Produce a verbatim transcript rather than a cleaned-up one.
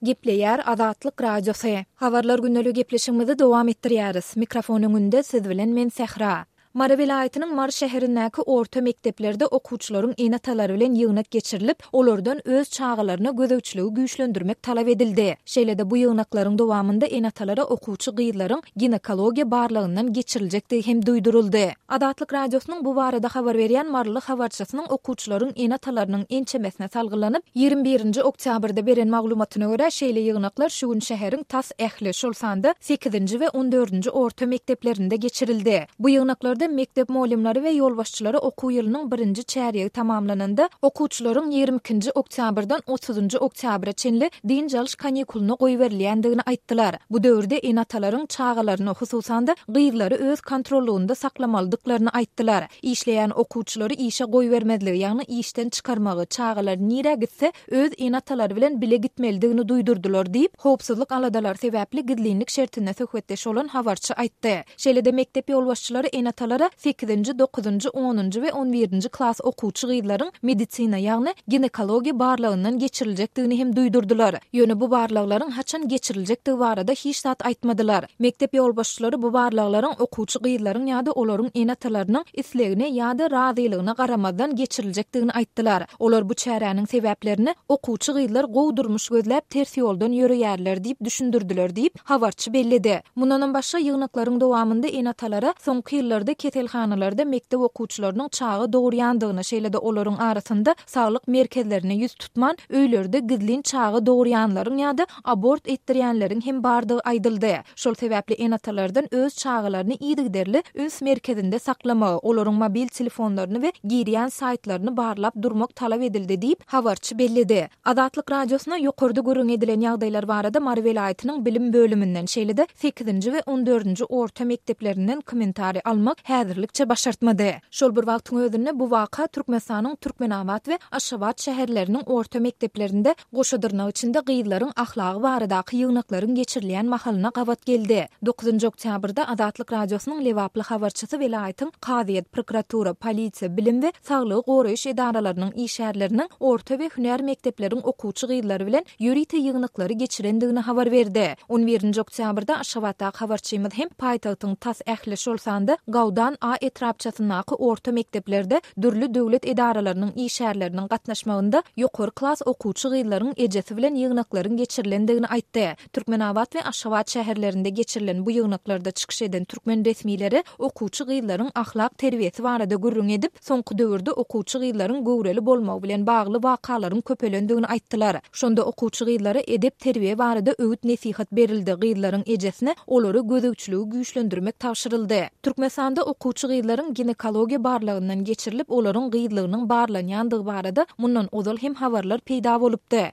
Gepleýär Azatlyk Radiosy. Habarlar gündeligi gepleşigimizi dowam etdirýäris. Mikrofon öňünde siz bilen men Sähra. Mary welaýatynyň Mary şäherindäki orta mekdeplerde okuwçylaryň ene-atalary bilen ýygnak geçirilip, olardan öz çagalaryna gözegçiligi güýçlendirmek talap edildi. Şeýle-de bu ýygnaklaryň dowamynda ene-atalara okuwçy gyzlaryň ginekologiýa barlagyndan geçiriljekdigi hem duýduryldy. Azatlyk Radiosynyň bu barada habar berýän maryly habarçysynyň okuwçylaryň ene-atalarynyň ençemesine salgylanyp, ýigrimi birinji oktýabrda beren maglumatyna görä, şeýle ýygnaklar şu gün şäheriň tas ähli, şol sanda sekizinji we on dördünji orta mekdeplerinde geçirildi. Bu ýygnaklarda mekdep mugallymlary we ýolbaşçylary okuw ýylynyň birinji çärýegi tamamlananda, okuwçylaryň ýigrimi ikinji oktýabrdan otuzynjy oktýabra çenli dynç alyş kanikulyna goýberilýändigini aýtdylar. Bu döwürde ene-atalaryň çagalaryny, hususan-da, gyzlary öz kontrollygynda saklamalydyklaryny aýtdylar. Işleýän okuwçylary işe goýbermezligi, ýagny işden çykarmagy, çagalar nirä gitse, öz ene-atalary bilen bile gitmelidigini duýdurdylar diýip, howpsuzlyk aladalary sebäpli gizlinlik şertinde söhbetdeş bolan habarçy aýtdy. Şeýle-de mekdep ýolbaşçylary ene-atalara sekizinji, dokuzynjy, onunjy we on birinji klas okuwçy gyzlaryň medisina, ýagny ginekologiýa barlagyndan geçiriljekdigini hem duýdurdylar. Ýöne bu barlaglaryň haçan geçiriljekdigi barada hiç zat aýtmadylar. Mekdep ýolbaşçylary bu barlaglaryň okuwçy gyzlaryň ýa-da olaryň ene-atalarynyň islegine ýa-da razylygyna garamazdan geçiriljekdigini aýtdylar. Olar bu çäräniň sebäplerini okuwçy gyzlar gowy durmuş gözläp ters ýoldan ýöreýärler diýip düşündirdiler diýip, habarçy belledi. Mundanam başga ýygnaklaryň dowamynda ene-atalara soňky ýyllarda keselhanalarda mekdep okuwçylarynyň çaga dogurýandygyny, şeýle-de olaryň arasynda saglyk merkezlerine ýüz tutman, öýlerde gizlin çaga dogurýanlaryň ýa-da abort etdirýänleriň hem bardygy aýdyldy. Şol sebäpli ene-atalardan öz çagalaryny yzygiderli üns merkezinde saklamagy, olaryň mobil telefonlaryny we girýän saýtlaryny barlap durmak talap edildi diýip, habarçy belledi. Azatlyk Radiosyna ýokarda gürrüň edilen ýagdaýlar barada Mary welaýatynyň bilim bölüminden, şeýle-de sekizinji we on dördünji orta mekdeplerinden kommentariý almak häzirlikçe başartmady. Şol bir wagtyň özünde bu waka Türkmenistanyň Türkmenabat we Aşgabat şäherleriniň orta mekdeplerinde goşa dyrnak içinde gyzlaryň ahlagy baradaky ýygnaklaryň geçirilýän mahalyna gabat geldi. Dokuzynjy oktýabrda Azatlyk Radiosynyň lebaply habarçysy welaýatyň kazyýet, prokuratura, polisiýa, bilim we saglygy goraýyş edaralarynyň işgärleriniň orta we hünär mekdepleriň okuwçy gyzlary bilen ýörite ýygnaklary geçirendigini habar berdi. On birinji oktýabrda Aşgabatdaky habarçymyz hem paýtagtyň tas ähli, şol sanda Gawdan A etrapçasyndaky orta mekdeplerde dürli döwlet edaralarynyň işgärleriniň gatnaşmagynda ýokary klas okuwçy gyzlaryň ejesi bilen ýygnaklaryň geçirilendigini aýtdy. Türkmenabat we Aşgabat şäherlerinde geçirilen bu ýygnaklarda çykyş eden türkmen resmileri okuwçy gyzlaryň ahlak terbiýesi barada gürrüň edip, soňky döwürde okuwçy gyzlaryň göwreli bolmagy bilen bagly wakalaryň köpelendigini aýtdylar. Şonda okuwçy gyzlara edep-terbiýe barada öwüt-nesihat berildi, gyzlaryň ejesine olara gözegçiligi güýçlendirmek tabşyryldy. Türkmenistanda okuwçy gyzlaryň ginekologiýa barlagyndan geçirilip, olaryň gyzlygynyň barlanýandygy barada mundan ozal hem habarlar peýda bolupdy.